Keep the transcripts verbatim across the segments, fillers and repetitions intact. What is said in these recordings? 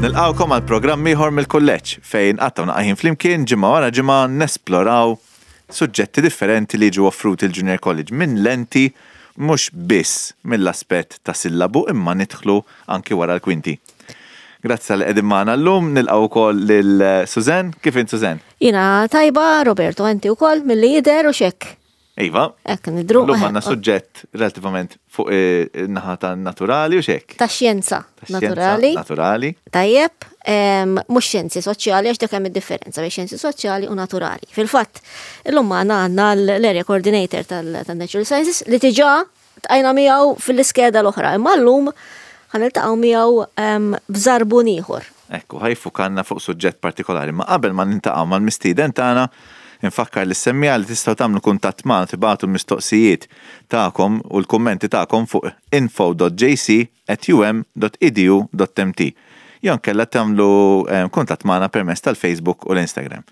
Nilqgħukom għal programm ieħor mill-kulleġġ fejn qattgħu naqra ħin flimkien ġimgħa wara ġimgħa nesploraw suġġetti differenti li jiġu offruti l-Junior College minn lenti mhux biss mill-aspett ta' sillabu, imma nidħlu anki wara l-kwinti. Grazzi talli qegħdin magħna llum. Nilqgħu wkoll lil Suzanne. Kif int, Suzanne? Jiena tajba, Roberto, inti wkoll milli jidher, u hekk. Iva. Hekk nidhru. Illum għandna suġġett relativament fuq in-naħa ta' naturali, u hekk. Ta' xjenza naturali. Naturali. Tajjeb, mhux xjenzi soċjali, għax dak hemm id-differenza bejn xjenzi soċjali u naturali. Fil-fatt, illum magħna għandna l-area coordinator tal-Natural Sciences li diġà ltqajna miegħu fil-iskeda l-oħra. Imma llum ħa niltaqgħu miegħu b'żarbun ieħor. Ekku, ħa jiffukalna fuq suġġett partikolari. Ma qabel ma niltaqgħu mal-mistieden tagħna, infakkar lis-semmiegħa li tistgħu tagħmlu kuntatt magħna, tibagħtu mistoqsijiet tagħkom u l-kummenti tagħkom fuq info dot J C at U M dot edu dot M T. Jew inkella tagħmlu eh, kuntatt magħna permezz tal-Facebook u l-Instagram.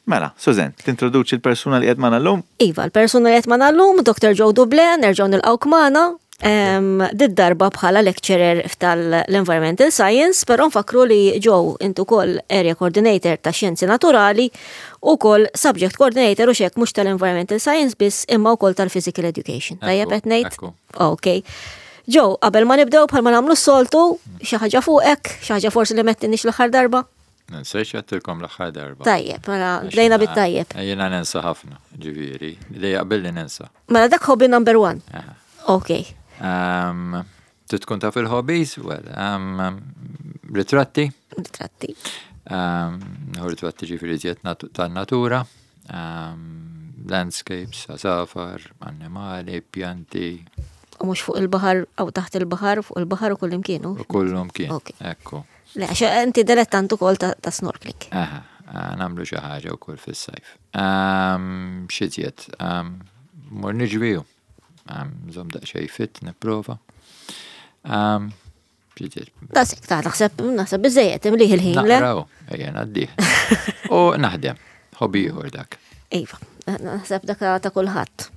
Mela, Susan, tintroduċi l-persuna li qed magħna llum? Iva, l-persuna li qed magħna llum, Doktor Joe Duble, nerġgħu nilqgħuk magħna. Did-darba bħala lecturer tal-Environmental Science, però nfakru li, Joe, intu ukoll area coordinator ta' xjenzi naturali u ukoll subject coordinator, u hekk, mhux tal-Environmental Science biss, imma ukoll tal-Physical Education. Tajjeb qed ngħid? Ok. Joe, qabel ma nibdew, bħalma nagħmlu s-soltu, xi ħaġa fuqek, xi ħaġa forsi li m'għedtniex l-aħħar darba? Nsejt x'għedtilkom l-aħħar darba. Tajjeb, mela bdejna bit-tajjeb. Jiena nensa ħafna, ġifieri, li jaqbilli nensa. Mela dak hobby number one. Ok. Um, tkun taf il-hobbies? Well, um, ritratti. Ritratti. Um, ritratti ġifieri iżjed tan-natura. Um, landscapes, għasafar, annimali, pjanti. U mhux fuq il-baħar, aw taħt il-baħar, fuq il-baħar u kullimkien. U kullimkien. Ekku. Le, għax inti dilettant ukoll ta', ta snorkeling. Aha, nagħmlu xi ħaġa wkoll fis-sajf. X'iżjed, mur niġri, nżomm daqsxejn fit, nipprova. X'iżjed? Dasek, ta' naħseb, naħseb biżejjed, imlieh il-ħin, le? Naqraw, ejja ngħaddih. U naħdem, hobby ieħor dak. Iva, naħseb dak ta' kulħadd.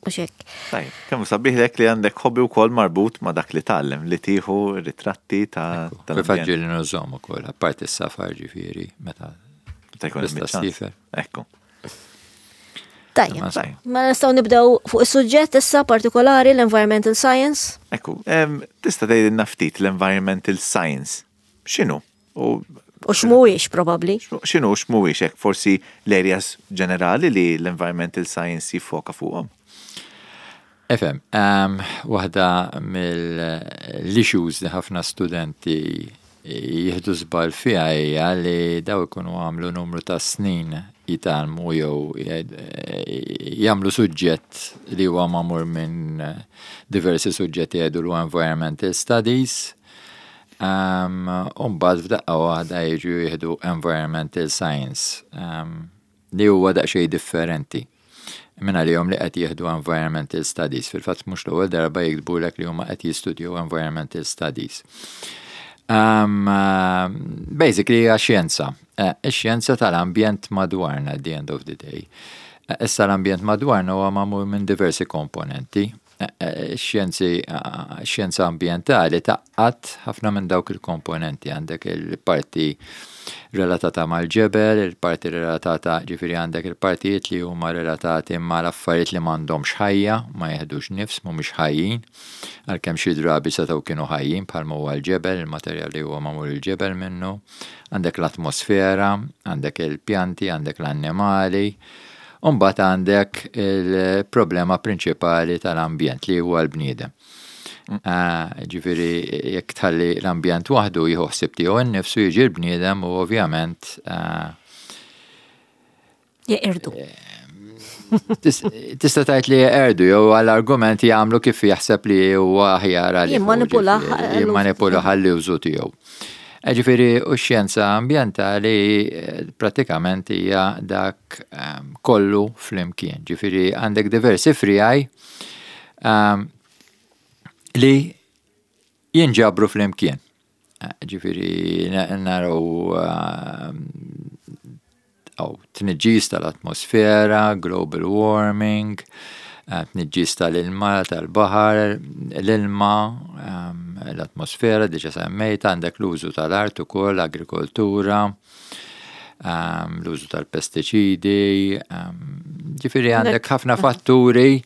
U hekk. Tajjeb, kemm sabiħ li għandek hobby wkoll marbut ma' dak li tgħallem, li tieħu ritratti ta' tal. Ġieli nużahom ukoll, apparti s-safar ġifieri, meta Ta' jkun tista' ssiefer. Ekku. Tajjeb, ma nistgħu nibdew fuq is-suġġett issa partikolari, l-environmental science. Ekku, tista' tgħidilna ftit l-environmental science. X'inhu? U U x'mhuwiex probabbli. X'inhu, x'mhuwiex, hekk forsi l-areas ġenerali li l-environmental science jiffoka fuqhom? Ifhem, um, waħda mill-issues li ħafna studenti jieħdu żball fiha hija li daw ikunu għamlu numru ta' snin jitgħallmu jew jagħmlu suġġett li huwa magħmul minn diversi suġġetti, jgħidu l environmental studies. Um, u mbagħad f'daqqa waħda jiġu jieħdu environmental science um, li huwa daqsxejn differenti minn għalihom li qed jieħdu environmental studies. Fil-fatt mhux l-ewwel darba jiktbulek li huma qed jistudjaw environmental studies. Um, uh, basically hija xjenza. Uh, Ix-xjenza tal-ambjent madwarna at the end of the day. Uh, issa l-ambjent madwarna huwa magħmul minn diversi komponenti. Xjenzi, xjenza ambjentali tgħaqqad ħafna minn dawk il-komponenti. Għandek il-parti relatata mal-ġebel, il-parti relatata, ġifieri għandek il-partijiet li huma relatati mal-affarijiet li m'għandhomx ħajja, ma jeħdux nifs, mhumiex ħajjin, għalkemm xi drabi setgħu kienu ħajjin, bħalma huwa l-ġebel, il-materjal li huwa magħmul il-ġebel minnu, għandek l-atmosfera, għandek il-pjanti, għandek l-annimali, u mbagħad għandek il-problema prinċipali tal-ambjent li huwa l-bniedem. Ah, ġifieri, jekk tħalli l-ambjent waħdu jieħu ħsieb tiegħu innifsu, jiġi l-bniedem u ovvjament ah, Jeqirdu. Tista' tgħid li jeqirdu jew għall-argument jagħmlu kif jaħseb li huwa aħjar għalih. Jimmanipula. Jimmanipula ħalli użu tiegħu. Eh, Ġifieri, u x-xjenza ambjentali eh, pratikament hija dak ehm, kollu flimkien. Ġifieri għandek diversi friegħi ehm, li jinġabru flimkien. Eh, Ġifieri naraw ehm, aw tniġġis tal-atmosfera, global warming, eh, tniġġis tal-ilma, tal-baħar, l-ilma, ehm, L-atmosfera, diġà semmejt, għandek l-użu tal-art ukoll, agrikoltura, l-użu tal-pestiċidi, ġifieri għandek ħafna fatturi,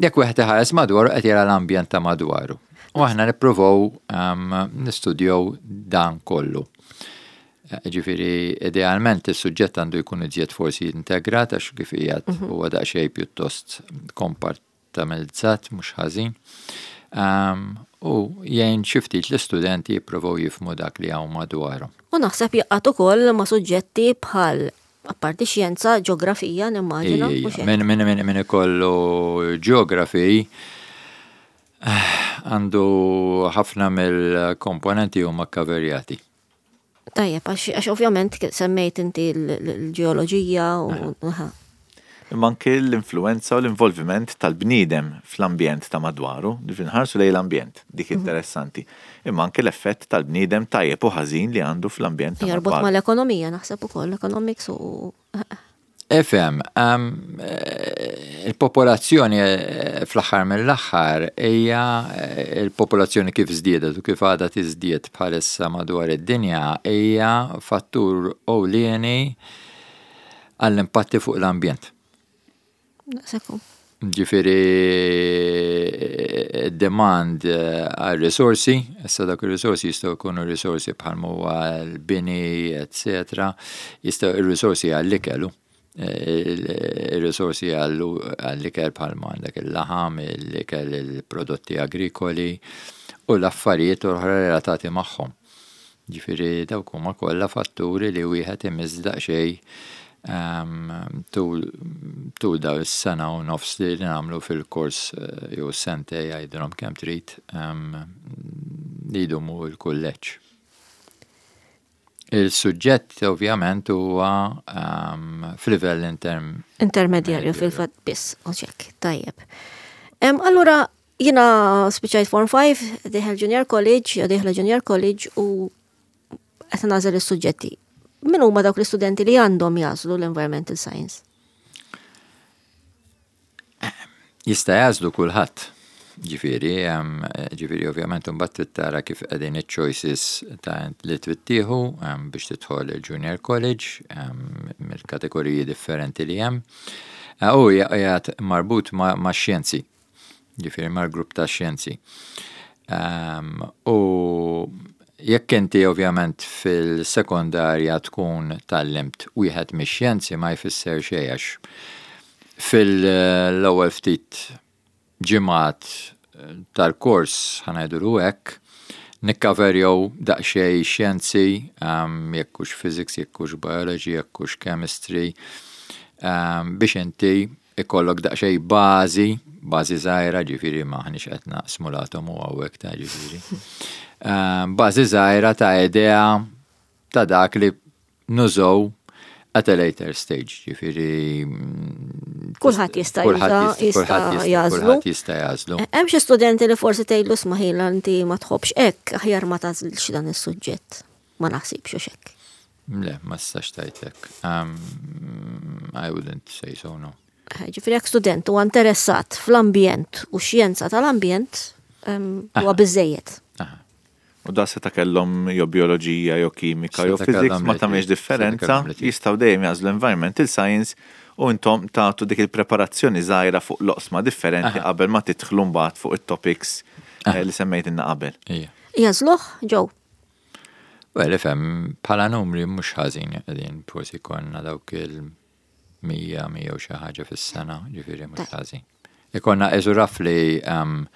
jekk wieħed iħares madwaru, qed jara l-ambjent ta' madwaru. U aħna nippruvaw nistudjaw dan kollu. Ġifieri, idealment is-suġġett għandu jkun iżjed forsi integrat, għax kif qiegħed mhm. huwa daqsxejn pjuttost kompartamentalizzat, mhux ħażin. U jgħin xi ftit l-istudenti jippruvaw jifhmu dak li hawn madwarhom. U naħseb jaqgħat ukoll ma' suġġetti bħal, apparti xjenza, ġeografija, nimmaġina. Min min min min ikollu geography għandu ħafna mill-komponenti huma kkaverjati. Tajjeb, għax ovvjament semmejt inti l-ġeoloġija u. Imma anke l-influenza u l-involviment tal-bniedem fl-ambjent ta' madwaru, nħarsu lejn l-ambjent, dik mhm. interessanti. Imma anke l-effett tal-bniedem tajjeb u ħażin li għandu fl-ambjent ta' Jorbot mal-ekonomija, naħseb ukoll, economics u. Ifhem, um, il-popolazzjoni eh, fl-aħħar mill-aħħar hija eh, il-popolazzjoni kif żdiedet u kif għadha tiżdied bħalissa madwar id-dinja hija fattur ewlieni għall-impatti fuq l-ambjent. Ġifieri demand għal risorsi, issa dak il-risorsi jistgħu jkunu risorsi bħal huwa l-bini, eccetera, jistgħu il-risorsi għall-ikel, il-risorsi għall-ikel bħal għandek il-laħam, l-ikel, il-prodotti agrikoli u l-affarijiet oħra relatati magħhom. Ġifieri dawk huma kollha fatturi li wieħed imiss daqsxejn tul tul daw is-sena u nofs li nagħmlu fil-kors eh, jew sentejn, jgħidilhom kemm trid, li jdumu l-kulleġġ. Il-suġġett ovvjament huwa f'livell interm Intermedjarju fil-fatt biss, oċek, tajjeb. Allura, jiena spiċajt Form five, dieħel Junior College, jew dieħla Junior College u qed nagħżel is-suġġetti. Min huma dawk l-istudenti li għandhom jagħżlu l-Environmental Science? Jista' jagħżlu kulħadd. Ġifieri, ġifieri ovvjament imbagħad trid tara kif qegħdin iċ-choices ta' li trid tieħu biex tidħol il-Junior College mill-kategoriji differenti li hemm. U qiegħed marbut ma' xjenzi, ġifieri mal-grupp ta' xjenzi. U jekk inti ovvjament fil-sekondarja tkun tgħallimt wieħed mix-xjenzi, ma jfisser xejn, għax fil-ewwel ftit ġimgħat tal-kors, ħa ngħidu hekk, nikkaverjaw daqsxejn xjenzi, jekk hux physics, jekk hux biology, jekk hux chemistry, biex inti ikollok daqsxejn bażi, bażi żgħira, ġifieri m'aħniex qed naqsmu l-atomu hawnhekk ta' ġifieri. Bażi żgħira ta' idea ta' dak li nużaw at a later stage, ġifieri. Kulħadd jista' jista' jagħżlu. Kulħadd jista' jagħżlu. Hemm xi studenti li forsi tgħidlu, "Isma' ħija, inti ma tħobbx hekk, aħjar ma tagħżilx dan is-suġġett"? Ma naħsibx hekk. Le, ma tistax tgħidlek. I wouldn't say so, no. Ġifieri jekk student huwa interessat fl-ambjent u xjenza tal-ambjent, huwa biżejjed. U da seta kellhom jew bioloġija, jew kimika, jew physics, ma tagħmilx differenza, jistgħu dejjem jagħżlu environmental science u intom tagħtu dik il-preparazzjoni żgħira fuq l-oqsma differenti qabel ma tidħlu mbagħad fuq it-topics eh, li semmejtilna qabel. Jagħżluh, Joe? Well, ifhem, bħala numri mhux ħażin qegħdin, forsi konna dawk il-mija, mija u xi ħaġa fis-sena, ġifieri mhux ħażin. Ikollna eżu roughly um,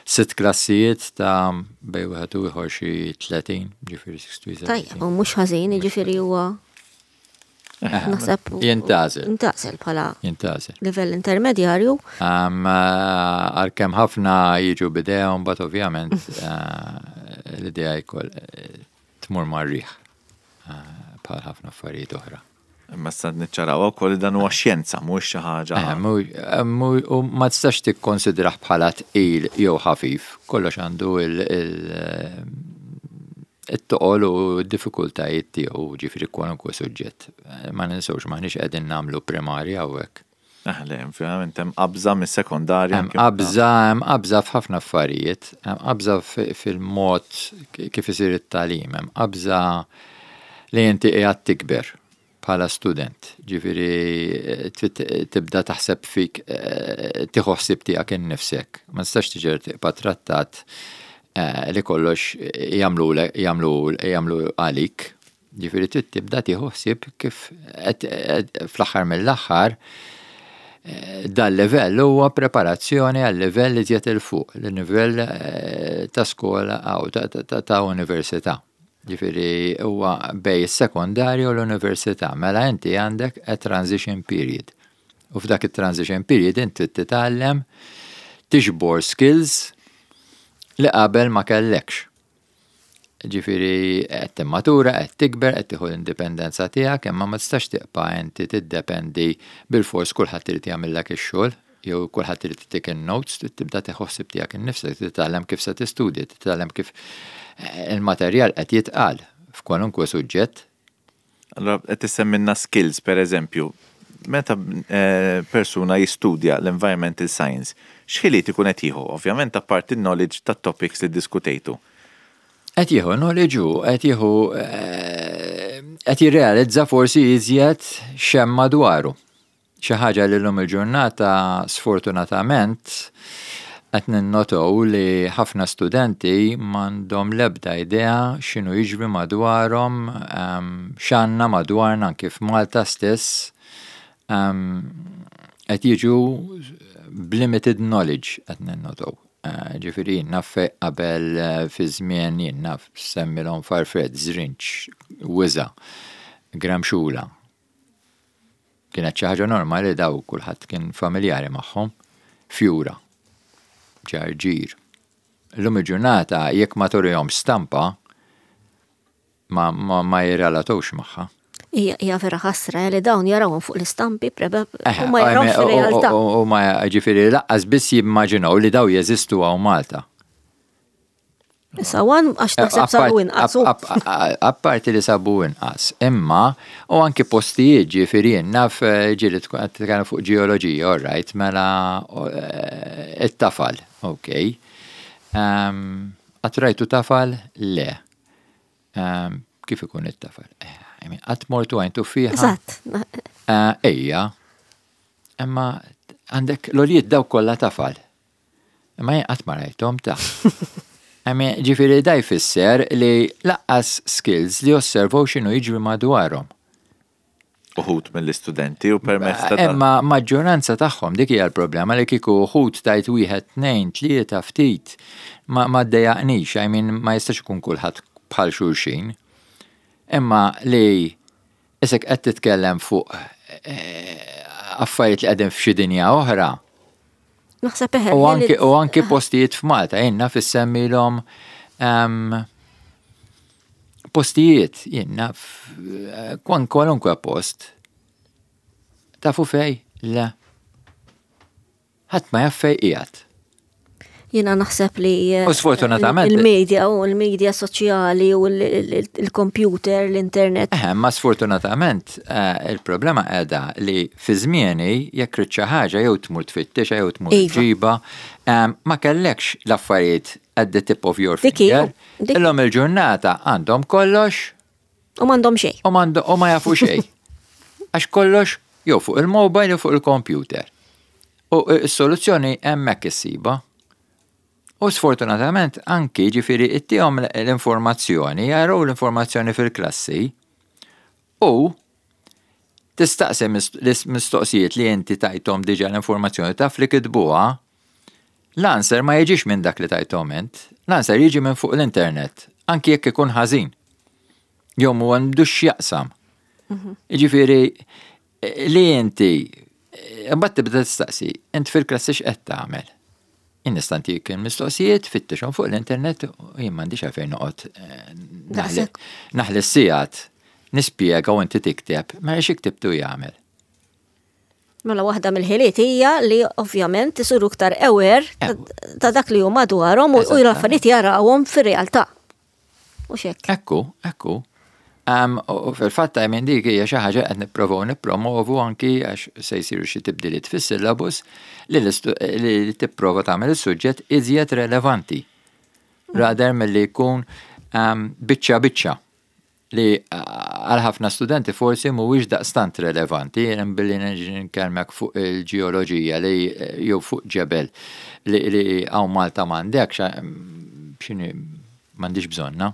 sitt klassijiet ta' bejn wieħed u ieħor xi tletin, ġifieri sixty. Tajjeb, u mhux ħażin, ġifieri huwa naħseb. Jintgħażel. Jintgħażel bħala Jintgħażel. livell intermedjarju. Għalkemm ħafna jiġu b'idea, but ovvjament eh, l-idea jkoll eh, tmur mar-riħ eh, bħal ħafna affarijiet oħra. Imma sa niċċaraw ukoll dan huwa xjenza, mhux xi ħaġa. U ma tistax tikkonsidrah bħala tqil jew ħafif, kollox għandu il-toqol u d-diffikultajiet tiegħu, ġifieri kwalunkwe suġġett. Ma ninsewx, m'aħniex qegħdin nagħmlu primarja hawnhekk. Ah, le, verament hemm qabża mis-sekondarja. Hemm qabża, hemm qabża f'ħafna affarijiet, hemm qabża fil-mod kif isir it-tagħlim, hemm qabża li inti qiegħed tikber bħala student. Ġifieri tibda taħseb fik, eh, tieħu ħsieb tiegħek innifsek. Ma tistax tiġi tibqa' trattat eh, li kollox jagħmlu jagħmlu jagħmlu għalik. Ġifieri trid tibda tieħu ħsieb kif fl-aħħar mill-aħħar eh, dal-livell huwa preparazzjoni għal livell li iżjed 'il fuq, il-livell ta' skola aw ta' università. Ġifieri huwa bejn is-sekondarju u l-università, mela inti għandek a transition period. U f'dak it-transition period inti titgħallem tiġbor skills li qabel ma kellekx. Ġifieri qed timmatura, qed tikber, qed tieħu l-indipendenza tiegħek, imma ma tistax tibqa' inti tiddependi bil-fors kulħadd irid jagħmellek ix-xogħol jew kulħadd irid tik in-notes, tibda tieħu ħsieb tiegħek innifsek, titgħallem kif se tistudja, titgħallem kif il-materjal qed jitqal f'kwalunkwe suġġett. Allora qed issemmilna skills per eżempju, meta eh, persuna jistudja l-environmental science, x'ħiliet ikun qed jieħu? Ovvjament apparti knowledge ta' topics li diskutejtu. Qed jieħu knowledge u qed jieħu eh, qed jirrealizza forsi iżjed x'hemm madwaru. Xi ħaġa li llum il-ġurnata sfortunatament qed ninnotaw li ħafna studenti m'għandhom l-ebda idea x'inhu jiġri madwarhom, x'għandna madwarna anke f'Malta stess qed jiġu b'limited knowledge qed ninnotaw. Eh, ġifieri naf qabel eh, fi żmien jien naf semmilhom farfett, żrinġ, wiża, gramxula. Kienet xi ħaġa normali, daw kulħadd kien familjari magħhom. Fjura, ġarġir. Illum il-ġurnata jekk ma turihom stampa ma, ma, ma jirrelatawx magħha. Hija hija vera ħasra li dawn jarawhom fuq l-istampi prebe u ma jarawx fir-realtà. U ma ġifieri lanqas biss jimmaġinaw li daw jeżistu hawn Malta. Issa wan għax naħseb sabu inqas. Apparti li sabu inqas, imma u anki postijiet, ġifieri naf ġieli tkun qed titkellem fuq ġeoloġija, all right, mela eh, it-tafal, ok. Qatt rajtu tafal? Le. Kif ikun it-tafal? Qatt mortu Għajn Tuffieħa? Eżatt. Eh, ejja, imma għandek l-għoljiet daw kollha tafal. Imma jien qatt ma rajthom ta' Ġifieri da jfisser li lanqas skills li osservaw x'inhu jiġri madwarhom. Uħud mill-istudenti u permezz ta' Imma maġġoranza tagħhom, dik hija l-problema, li kieku uħud tajt wieħed, tnejn, tlieta ftit ma ma ddejjaqnix, I mean, ma jistax ikun kulħadd bħal xulxin. Imma li isek qed titkellem fuq eh, affarijiet li qegħdin f'xi dinja oħra. Naħseb eħe. U anki, u anki postijiet f'Malta, jien naf issemmilhom um, postijiet, jien naf eh, kwan kwalunkwe post. Tafu fej? Le. Ħadd ma jaf fej qiegħed. Jiena naħseb li eh, U sfortunatament- il-media u l-media soċjali u l-computer, l-internet. Eh, ma sfortunatament eh, il-problema qiegħda li fi żmieni jekk trid xi ħaġa jew tmur tfittex jew tmur Iva. ġiba, em, ma kellekx l-affarijiet at the tip of your Dik hi, finger. dik- Illum il-ġurnata għandhom kollox U m'għandhom xejn. u m'għandu- u ma jafu xejn. Għax kollox jew fuq il-mobile jew fuq il-computer. U s-soluzzjoni hemmhekk issiba. U sfortunatament anki ġifieri ittihom l-informazzjoni, jaraw l-informazzjoni fil-klassi u tistaqsi mistoqsijiet li inti tajthom diġà l-informazzjoni, taf li kitbuha, l-answer ma jiġix minn dak li tajthom int, l-answer jiġi minn fuq l-internet, anki jekk ikun ħażin. Jew mu għandux x'jaqsam. Ġifieri li inti mbagħad tibda tistaqsi, int fil-klassi x'qed tagħmel? Jien nista' ntik il-mistoqsijiet, fittixhom fuq l-internet u jien m'għandix għalfejn noqgħod eh, naħli Daqshekk. naħli s-sigħat nispjega u inti tikteb, ma xi ktibtu jagħmel. Mela waħda mill-ħiliet hija li ovvjament isiru iktar aware ta- ta' dak li huma madwarhom u u l-affarijiet jarawhom fir-realtà. U xek. Ekku, ekku. Um, u fil-fatt minn dik hija xi ħaġa qed nipprovaw nippromovu anki għax se jsiru xi tibdiliet fis-syllabus li li tipprova tagħmel is-suġġett iżjed relevanti. Rather milli jkun um, biċċa biċċa li għal ħafna studenti forsi mhuwiex daqstant relevanti, jien billi nkellmek fuq il-ġeoloġija li jew fuq ġebel li li hawn Malta m'għandek x'inhi, m'għandix bżonna.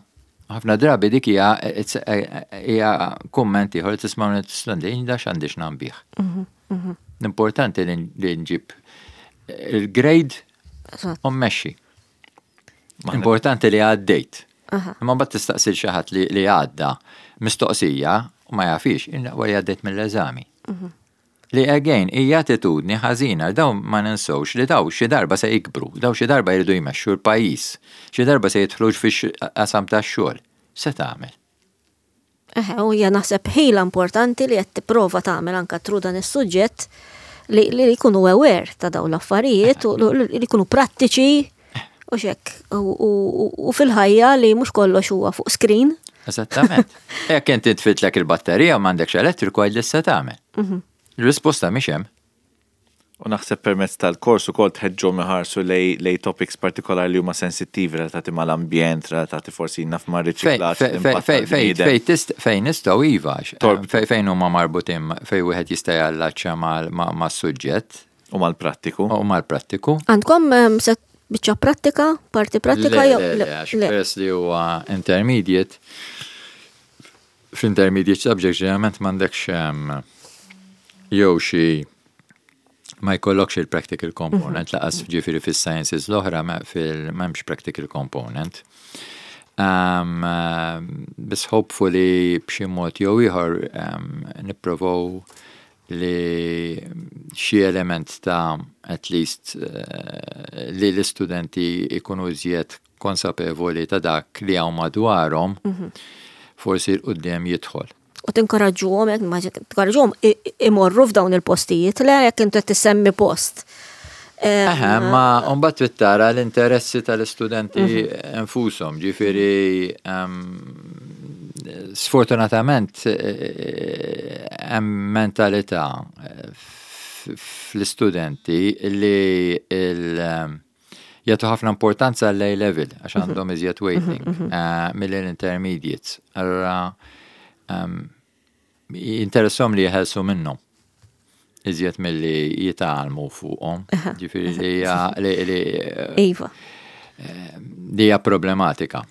Ħafna drabi dik hija hija kumment ieħor li tisma' minn studenti, da x'għandix nambih. L-importanti li nġib il-grade u mmexxi. Importanti li għaddejt. Imma mbagħad tistaqsi xi ħadd li għadda mistoqsija u ma jafix, wara għaddejt mill-eżami. Li again, hija attitudni ħażina, daw ma ninsewx li daw xi darba se jikbru, daw xi darba jridu jmexxu l-pajjiż, xi darba se jidħlu fix-qasam tax-xogħol. Se tagħmel? Eħe, u hija naħseb ħila importanti li qed tipprova tagħmel anka through dan is-suġġett li li jkunu aware ta' dawn l-affarijiet u li jkunu prattiċi u xek u fil-ħajja li mhux kollox huwa fuq screen. Eżattament. Jekk inti tfitlek il-batterija u m'għandekx elettriku, għid li se tagħmel. Il-risposta mhix hemm. U naħseb permezz tal-kors ukoll tħeġġhom iħarsu lej, lej topics partikolari li huma sensittivi relatati mal-ambjent, relatati forsi naf ma' riċiklaġġ. Fejn nistgħu iva, fejn huma marbutin, fejn wieħed jista' jallaċċa mas-suġġett. U mal-prattiku. U mal-prattiku. Għandkom set biċċa prattika, parti prattika jew? Le, għax peress li huwa intermediate, f'intermediate subject ġeneralment m'għandekx jew xi ma jkollokx il-practical component, lanqas ġifieri fis-sciences l-oħra fil m'hemmx practical component. Um, Biss hopefully b'xi mod jew ieħor um, nipprovaw li xi element ta' at least uh, li l-istudenti ikunu iżjed konsapevoli ta' dak li hawn madwarhom, forsi 'l quddiem jidħol. U tinkoraġġuhom, jekk tinkoraġġuhom imorru f'dawn il-postijiet, le, jekk inti tissemmi post. Eħe, ma mbagħad trid tara l-interessi tal-istudenti infushom, ġifieri sfortunatament hemm mentalità fl-istudenti li jagħtu ħafna importanza l level għax għandhom iżjed weighting mill-intermediates. Allora jinteressahom li jeħelsu minnhom iżjed milli jitgħallmu fuqhom. Ġifieri li li Iva. li hija problematika.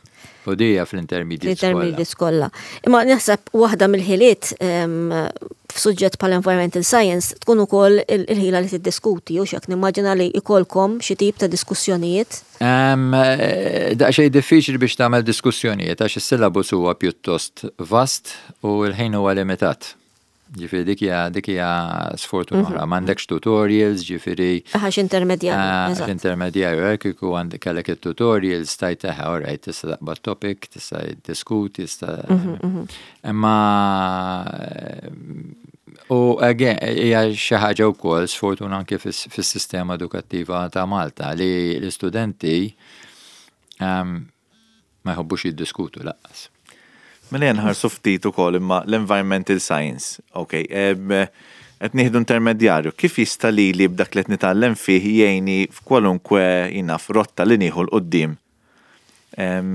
U dija fl-intermediate. L-intermediate kollha. Imma naħseb waħda mill-ħiliet f'suġġett bħal environmental science tkun ukoll il-ħila li tiddiskuti, u xek nimmaġina li ikolkom xi tip ta' diskussjonijiet. Daqsxejn diffiċli biex tagħmel diskussjonijiet għax is-syllabus huwa pjuttost vast u l-ħin huwa limitat. Ġifieri dik hija dik hija sfortuna oħra. M'għandekx tutorials, ġifieri. Għax intermedjarju. Għax intermedjarju, hekk kieku għandek kellek il-tutorials tajt eħe, alright, tista' taqbad topic, tista' diskuti, tista'. Imma u again, hija xi ħaġa wkoll sfortuna anke fis-sistema edukattiva ta' Malta li l-istudenti ma jħobbux jiddiskutu lanqas. Mela nħarsu ftit ukoll imma l-environmental science, ok, qed nieħdu intermedjarju, kif jista' li li b'dak li qed nitgħallem fih jgħinni f'kwalunkwe jina f'rotta li nieħu 'l quddiem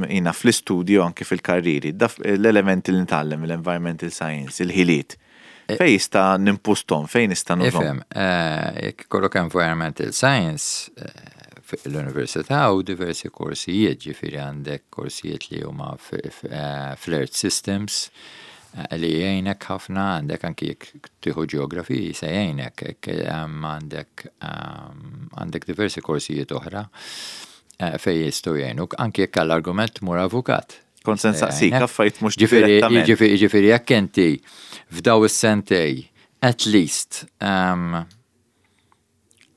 jina fl-istudju, anke fil-karriri, l-elementi li nitgħallem l-environmental science, il-ħiliet? Fejn jista' nimpustom, fejn nista' nużhom? Ifhem, jekk ikollok environmental science, l-università u diversi korsijiet, ġifieri għandek korsijiet li huma fl-Earth Systems li jgħinek ħafna, għandek anki jekk tieħu geography se jgħinek, għandek għandek diversi korsijiet oħra fejn jistgħu jgħinuk, anki jekk għall-argument tmur avukat. Kont se nsaqsik, affarijiet mhux Ġifieri, ġifieri, ġifieri jekk inti f'daw is-sentej at least um,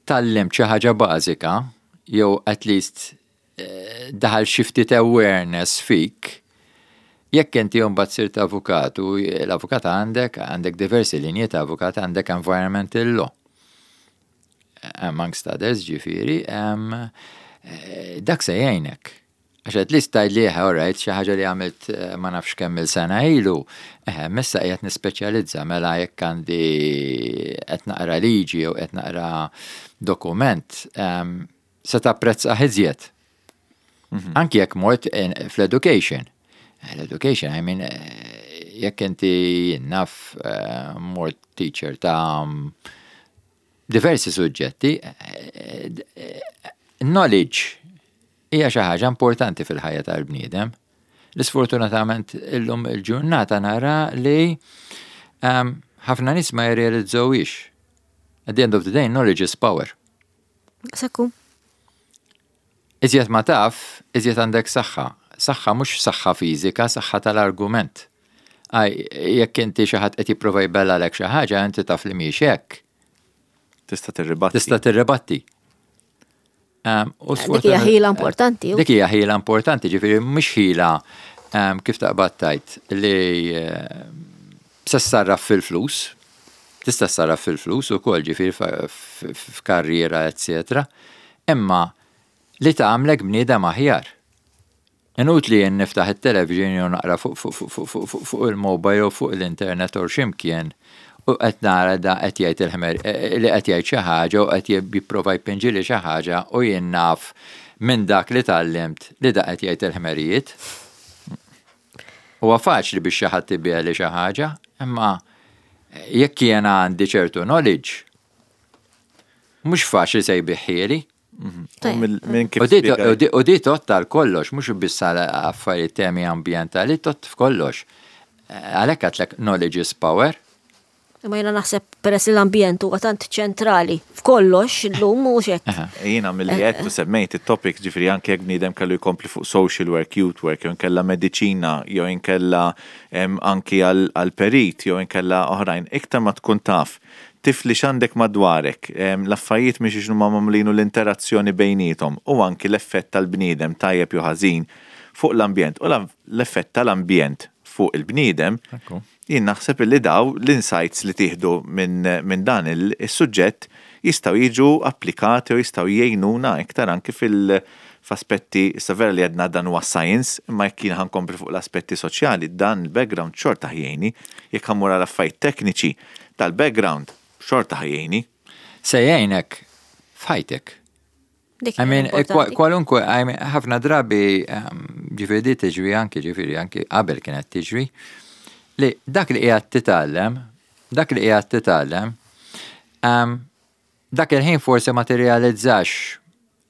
tgħallimt xi ħaġa bażika, jew at least eh, daħal xi ftit awareness fik, jekk inti mbagħad sirt avukat u l-avukat għandek għandek diversi linji ta' avukat, għandek environmental law. Amongst others, ġifieri, um, dak se jgħinek. Għax at least tgħid li all right, xi ħaġa li għamilt eh, ma nafx kemm il-sena ilu, eh, issa qiegħed nispeċjalizza, mela jekk għandi qed naqra liġi jew qed naqra dokument, se tapprezza iżjed. Mhm. Anki jekk mort fl-education. L-education, I mean, eh, jekk inti naf mort teacher ta' diversi suġġetti, knowledge hija xi ħaġa importanti fil-ħajja tal-bniedem. L-sfortunatament illum il-ġurnata nara li um, ħafna nies ma jirrealizzawix. At the end of the day, knowledge is power. Sekku. Iżjed ma taf, iżjed għandek saħħa. Saħħa mhux saħħa fiżika, saħħa tal-argument. Għaj, jekk inti xi ħadd qed jipprova jbellagħlek xi ħaġa, inti taf li mhix hekk. Tista' tirribatti. Tista' tirribatti. U dik hija ħila importanti. Dik hija ħila importanti, ġifieri mhux ħila kif taqbad tgħid li se ssarraf fil-flus, tista' ssarraf fil-flus ukoll, ġifieri f'karriera, eccetera. Imma li tagħmlek bniedem aħjar. Inutli jien niftaħ it-television jew naqra fuq il-mobile jew fuq l-internet u x'imkien u qed nara da qed jgħid il-ħmer li qed jgħid xi ħaġa u qed jipprova jpinġili xi ħaġa u jien naf minn dak li tgħallimt li da qed jgħid il-ħmerijiet. Huwa faċli biex xi ħadd ibigħli xi ħaġa, imma jekk jiena għandi ċertu knowledge, mhux faċli se jbigħhieli. U di tgħodd għal kollox, mhux biss għal affarijiet temi ambjentali, tgħodd f'kollox. Għalhekk għedtlek knowledge is power. Imma jiena naħseb peress li l-ambjent huwa tant ċentrali f'kollox illum, mhux hekk? Jiena milli qed u semmejt it-topic, ġifieri anke jekk bniedem kellu jkompli fuq social work, youth work, jew inkella mediċina, jew inkella anki għal perit, jew inkella oħrajn, iktar ma tkun taf tifli x'għandek madwarek, l-affarijiet mhix x'inhuma magħmulin u l-interazzjoni bejniethom u anki l-effett tal-bniedem tajjeb jew ħażin fuq l-ambjent u l-effett tal-ambjent fuq il-bniedem, jien naħseb li daw l-insights li tieħdu minn min dan il-suġġett jistgħu jiġu applikati u jistgħu jgħinuna iktar anki fil- f'aspetti, issa vera li għedna dan huwa science, imma jekk jien ħa nkompli fuq l-aspetti soċjali, dan il-background xorta ħa jgħinni, jekk ħa mmur għal affarijiet tekniċi, tal-background xorta ħa jgħinni. Se jgħinek f'ħajtek. Dik I mean, importanti. Kwalunkwe, I mean, ħafna drabi, um, ġifieri di tiġri anki, ġifieri anki qabel kienet tiġri, li dak li qiegħed titgħallem, dak li qiegħed titgħallem, um, dak il-ħin forsi ma tirrealizzax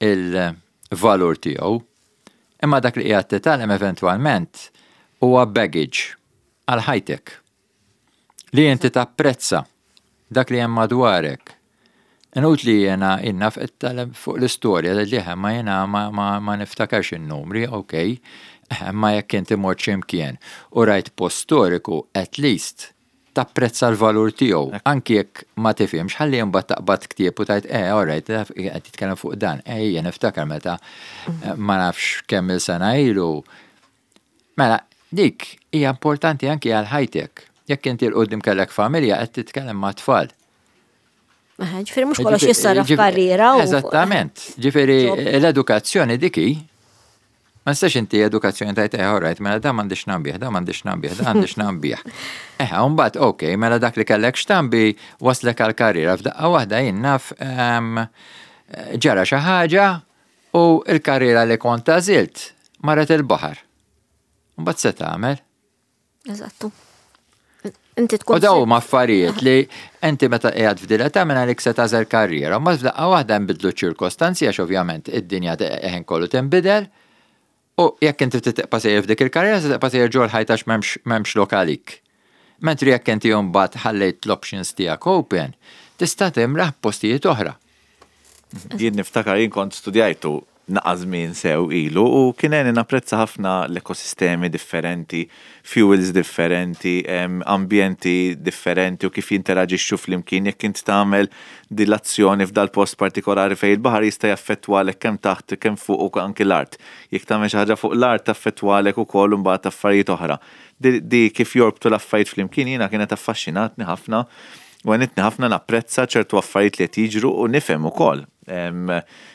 il-valur tiegħu, imma dak li qiegħed titgħallem eventwalment huwa baggage għal ħajtek. Li inti tapprezza dak li hemm madwarek. Inutli jena inna fuq l-istorja li ma jena ma, ma, ma niftakarx il-numri, ok, ma jekk inti mort x'imkien u rajt post storiku, at least tapprezza l-valur tiegħu. Anki jekk ma tifhimx, ħalli mbagħad taqbad ktieb u tgħid, eh, all right, qed titkellem fuq dan. Eh, jien niftakar meta ma nafx kemm il-sena ilu. Mela, dik hija importanti anki għal ħajtek. Jekk inti 'l quddiem kellek familja, qed titkellem ma' tfal. Ġifieri mhux kollox jissarraf karriera. u- Eżattament. Ġifieri l-edukazzjoni diki, ma nistax inti edukazzjoni tgħid, eh, all right, mela da m'għandix nambih, da m'għandix nambih, da m'għandix nambih. Eh, mbagħad, ok, mela dak li kellek x'tambi waslek għal karriera f'daqqa waħda jien naf em, ġara xi ħaġa u l-karriera li kont għażilt marret il-baħar. Mbagħad se tagħmel? Eżattu. Inti tkun. U daw huma affarijiet li inti meta qiegħed f'din l-età minn għalik se tagħżel karriera, ma f'daqqa waħda nbidlu ċirkostanzi għax ovvjament id-dinja ħin kollu tinbidel. U jekk inti tibqa' sejjer f'dik il-karriera, se tibqa' sejjer ġol ħajt għax m'hemmx m'hemmx lok għalik. Mentri jekk inti mbagħad ħallejt l-options tiegħek open, tista' timraħ postijiet oħra. Jien niftakar jien kont studjajtu naqa żmien sew ilu u kien għeni napprezza ħafna l-ekosistemi differenti, fuels differenti, em, ambjenti differenti u kif jinteraġixxu flimkien. Jekk int tagħmel dilazzjoni f'dal post partikolari fejn il-baħar jista' jaffettwalek kemm taħt kemm fuq u anki l-art. Jekk tagħmel xi ħaġa fuq l-art taffettwalek ukoll imbagħad affarijiet oħra. Di, di kif jorbtu l-affarijiet flimkien jiena kienet affaxxinatni ħafna u għenitni ħafna napprezza ċertu affarijiet li qed jiġru u nifhem ukoll. Em,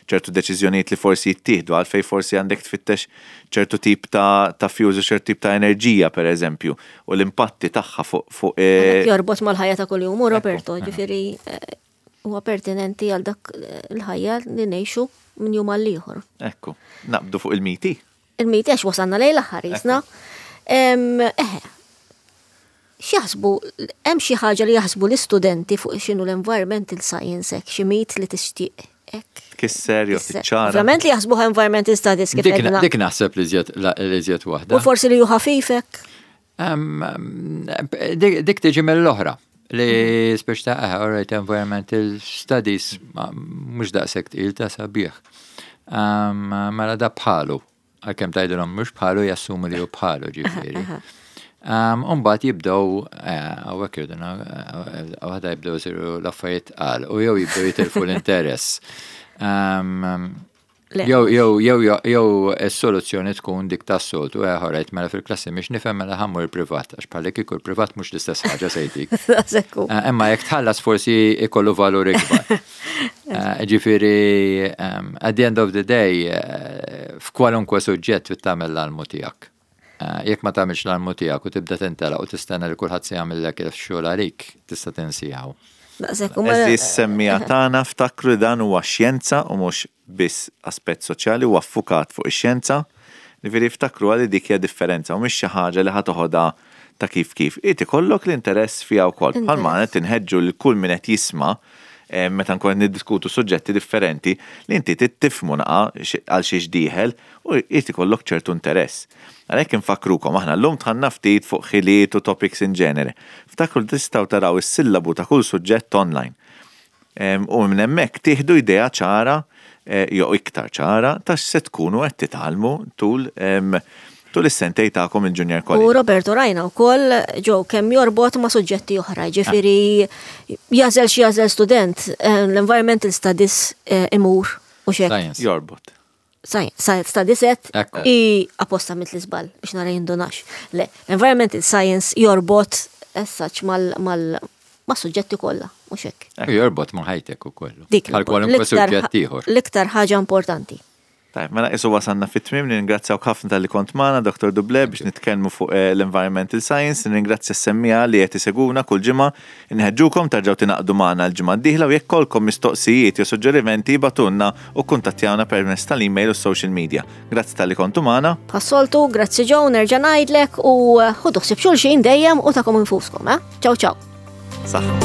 ċertu deċiżjonijiet li forsi jittieħdu, għalfej forsi għandek tfittex ċertu tip ta', ta fuels u ċertu tip ta' enerġija, per eżempju, u l-impatti tagħha fuq fuq eh, Jorbot mal-ħajja ta' kuljum, u Roberto, ġifieri eh, huwa pertinenti għal dak eh, il-ħajja li ngħixu minn jum għal ieħor. Ekku, naqbdu fuq il-miti. Il-miti għax wasalna lejn l-aħħar jisna. Eħe, x'jaħsbu, hemm xi ħaġa li jaħsbu l-istudenti fuq x'inhu l-environmental science hekk, xi mit li tixtieq hekk? Tkisser jew tiċċara. Ovvjament li jaħsbuha environmental studies kif Dik għedna. dik naħseb li żjed li żjed waħda. U forsi li ju ħafifek. Em, Dik dik tiġi mill-oħra li speċi ta' eh, alright, environmental studies ma- mhux daqshekk tqil ta' sabiħ. Em, Mela da bħalu, għalkemm tgħidilhom mhux bħalu, jassumu li hu bħalu, ġifieri. Um, Umbagħad jibdew, hawnhekk irduna, għada jibdew isiru l-affarijiet tqal, u jew jibdew jitilfu l-interess. Um, Le. Jew, jew, jew, jew, jew is-soluzzjoni tkun dik tas-soltu, eh, alright, mela fil-klassi mhix nifhem, mela ħa mmur privat, għax bħalli kieku l-privat mhux l-istess ħaġa se jtik. Sekku. Eh, Imma jekk tħallas forsi ikollu valur ikbar. Eh, Ġifieri, um, at the end of the day, eh, f'kwalunkwe suġġett trid tagħmel l-almu tiegħek. Eh, Jekk ma tagħmilx l-almu tiegħek u tibda tintelaq u tistenna li kulħadd se jagħmellek il-xogħol għalik, tista' tinsijaw. Daqshekk u mela- Għeżież semmiegħa tagħna, ftakru li dan huwa xjenza u mhux biss aspett soċjali, huwa ffukat fuq ix-xjenza. Ġifieri ftakru għalli dik hija differenza u mhix xi ħaġa li ħa toħodha ta' kif kif. Irid ikollok l-interess fiha wkoll. Bħalma qed inħeġġu lil kull min qed jisma' eh, meta nkun niddiskutu suġġetti differenti li inti tifhmu naqa għal xiex dieħel u irid ikollok ċertu interess. Għalhekk infakrukom, aħna llum dħalna ftit fuq ħiliet u topics in genere. Ftakru li tistgħu taraw is-sillabu ta' kull suġġett online. Em, U minn hemmhekk tieħdu idea ċara eh, jew iktar ċara ta' x'se tkunu qed titgħallmu tul em, tul is-sentej tagħkom il-Junior U College. Roberto, rajna wkoll ġew kemm jorbot ma' suġġetti oħra, ġifieri jagħżel xi jagħżel student, eh, l-environmental studies eh, imur u xek. Science. Jorbot. Science studies et Ekku. i apposta mit l-izbal biex nara jindunax. Le, environmental science jorbot as such mal, mal, ma' suġġetti kollha, u xek. U jorbot ma' ħajtek u kollu. Dik Bħal kwalunkwe l-iktar suġġett ieħor. l-iktar ħaġa importanti. Tajb, mela isu wasanna fit-tmim, nirringrazzjaw ħafna talli kont magħna, Doktor Dublé, biex nitkellmu fuq eh, l-environmental science, nirringrazzja s-semmiegħa li qed isegwuna kull ġimgħa, inħeġġukom terġgħu tingħaqdu magħna l-ġimgħa d-dieħla u jekk ikollkom mistoqsijiet jew suġġerimenti, ibagħtulna u kuntattjawna permezz tal-email u social media. Grazzi talli kontu magħna. Bħas-soltu, grazzi Joe, nerġa' ngħidlek u eh, ħudu ħsieb xulxin dejjem u tagħkom infuskom, eh? Ciao ciao. Saħħa.